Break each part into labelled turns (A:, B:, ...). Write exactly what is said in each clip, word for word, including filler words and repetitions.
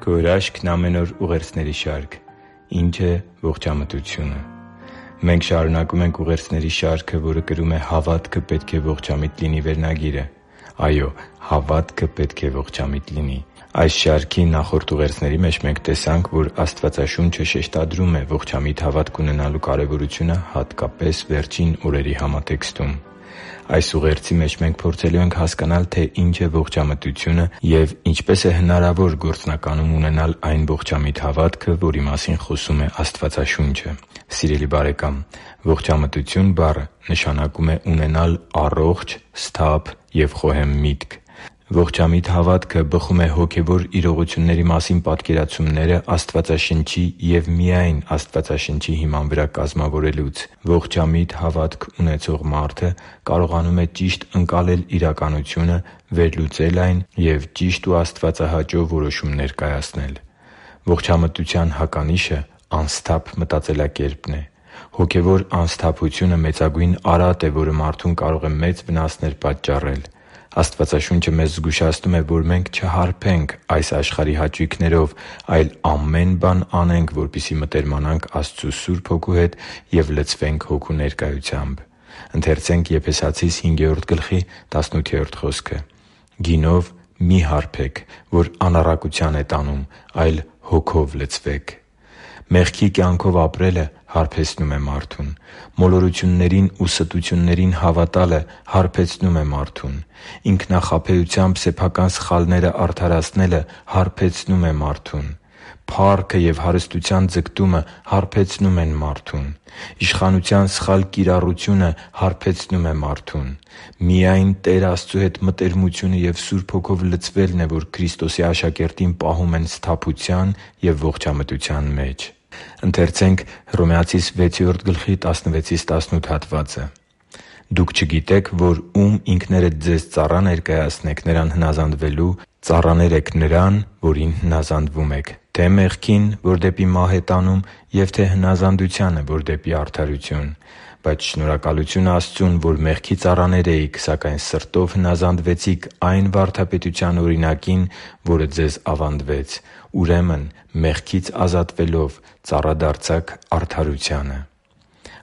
A: Քո հրաշքն ամեն օր ուղերձների շարք։ Ինչ է ողջամտությունը։ Մենք շարունակում ենք ուղերձների շարքը, որը կրում է «Հավատքը պետք է ողջամիտ լինի» վերնագիրը։ Այո՛, հավատքը պետք է ողջամիտ լինի։ Այս շարքի նախորդ ուղերձների մեջ մենք տեսանք, որ Աստվածաշունչը շեշտադրում է ողջամիտ հավատք ունենալու կարևորությունը հատկապես վերջին օրերի համատեքստում։ Այս ուղերձի մեջ մենք փորձելու ենք հասկանալ, թե ինչ է ողջամտությունը և ինչպես է հնարավոր գործնականում ունենալ այն ողջամիտ հավատքը, որի մասին խոսում է Աստվածաշունչը։ Սիրելի՛ բարեկամ, ողջամտություն բառը նշանակում է ունենալ առողջ, սթափ և խոհեմ միտք։ Ողջամիտ հավատքը բխում է հոգևոր իրողությունների մասին պատկերացումները Աստվածաշնչի և միայն Աստվածաշնչի հիման վրա կազմավորելուց։ Ողջամիտ հավատք ունեցող մարդը կարողանում է ճիշտ ընկալել իրականությունը, վերլուծել այն և ճիշտ ու աստվածահաճո որոշումներ կայացնել։ Ողջամտության հականիշը անսթափ մտածելակերպն է։ Հոգևոր անսթափությունը մեծագույն արատ է, որը մարդուն կարող է մեծ վնասներ պատճառել։ Աստվածաշունչը մեզ զգուշացնում է, որ մենք չհարբենք այս աշխարհի հաճույքներով, այլ ամեն բան անենք, որպեսզի մտերմանանք Աստծու Սուրբ Հոգու հետ և լցվենք Հոգու ներկայությամբ։ «Գինով մի՛ հարբեք, որ անառակության է տանում, այլ Հոգով լցվեք» (Եփեսացիս հինգ. տասնութ)։ Մեղքի կյանքով ապրելը հարբեցնում է մարդուն։ Մոլորություններին ու ստություններին հավատալը հարբեցնում է մարդուն։ Ինքնախաբեությամբ սեփական սխալները արդարացնելը հարբեցնում է մարդուն։ Փառքը և հարստության ձգտումը հարբեցնում են մարդուն։ Իշխանության սխալ կիրառությունը հարբեցնում է մարդուն։ Միայն Տեր Աստծու հետ մտերմությունը և Սուրբ Հոգով լցվելն է, որ Քրիստոսի աշակերտին պահում են սթափության և ողջամտության մեջ։ «Դուք չգիտեք, որ ում ինքներդ ձեզ ծառա ներկայացնեք նրան հնազանդվելու, ծառաներ եք Նրան, որին հնազանդվում եք, թե՛ մեղքին, որ դեպի մահ է տանում, և թե՛ հնազանդությանը, որ դեպի արդարություն։ Բայց շնորհակալություն Աստծուն, որ մեղքի ծառաներ էիք, սակայն սրտով հնազանդվեցիք այն վարդապետության օրինակին, որը ձեզ ավանդվեց. ուրեմն մեղքից ազատվելով՝ ծառա դարձաք արդարությանը» (Հռոմեացիս վեց որդի տասնվեցից տասնութ)։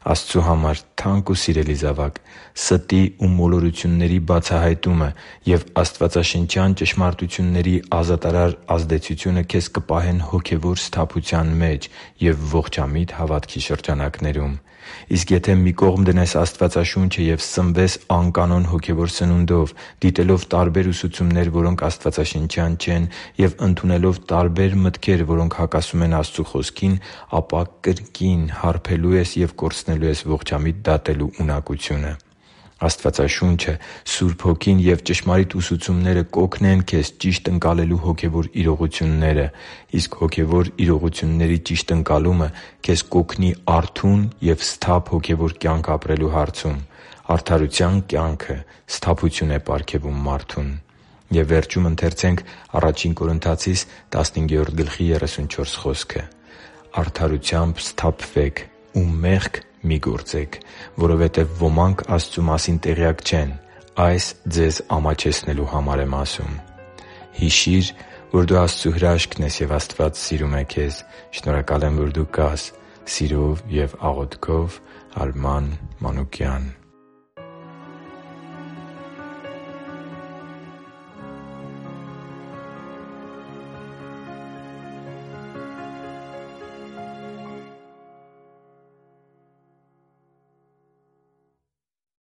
A: Աստծու համար թանկ ու սիրելի՛ զավակ, ստի ու մոլորությունների բացահայտումը և աստվածաշնչյան ճշմարտությունների ազատարար ազդեցությունը քեզ կպահեն հոգևոր սթափության մեջ և ողջամիտ հավատքի շրջանակներում։ Իսկ եթե մի կողմ դնես Աստվածաշունչը և սնվես անկանոն հոգևոր սնունդով՝ դիտելով տարբեր ուսուցումներ, որոնք աստվածաշնչյան չեն, և ընդունելով տարբեր մտքեր, որոնք հակասում են Աստծու Խոսքին, ապա կրկին հարբելու ես և կորցնելու ես ողջամիտ դատելու ունակությունը։ Աստվածաշունչը, Սուրբ Հոգին և ճշմարիտ ուսուցումները կօգնեն քեզ ճիշտ ընկալելու հոգևոր իրողությունները, իսկ հոգևոր իրողությունների ճիշտ ընկալումը քեզ կօգնի արթուն և սթափ հոգևոր կյանք ապրելու հարցում։ Արդարության կյանքը սթափություն է պարգևում մարդուն։ «Արդարությամբ սթափվեք ու մեղք մի՛ գործեք, որովհետև ոմանք Աստծու մասին տեղյակ չեն. այս ձեզ ամաչեցնելու համար եմ ասում» (Ա Կորնթացիս տասնհինգ որդի Հիշի՛ր, որ դու Աստծո հրաշքն ես, և Աստված սիրում է քեզ։ Շնորհակալ եմ, որ դու կա՛ս։ Սիրով և աղոթքով՝ Արման Մանուկյան։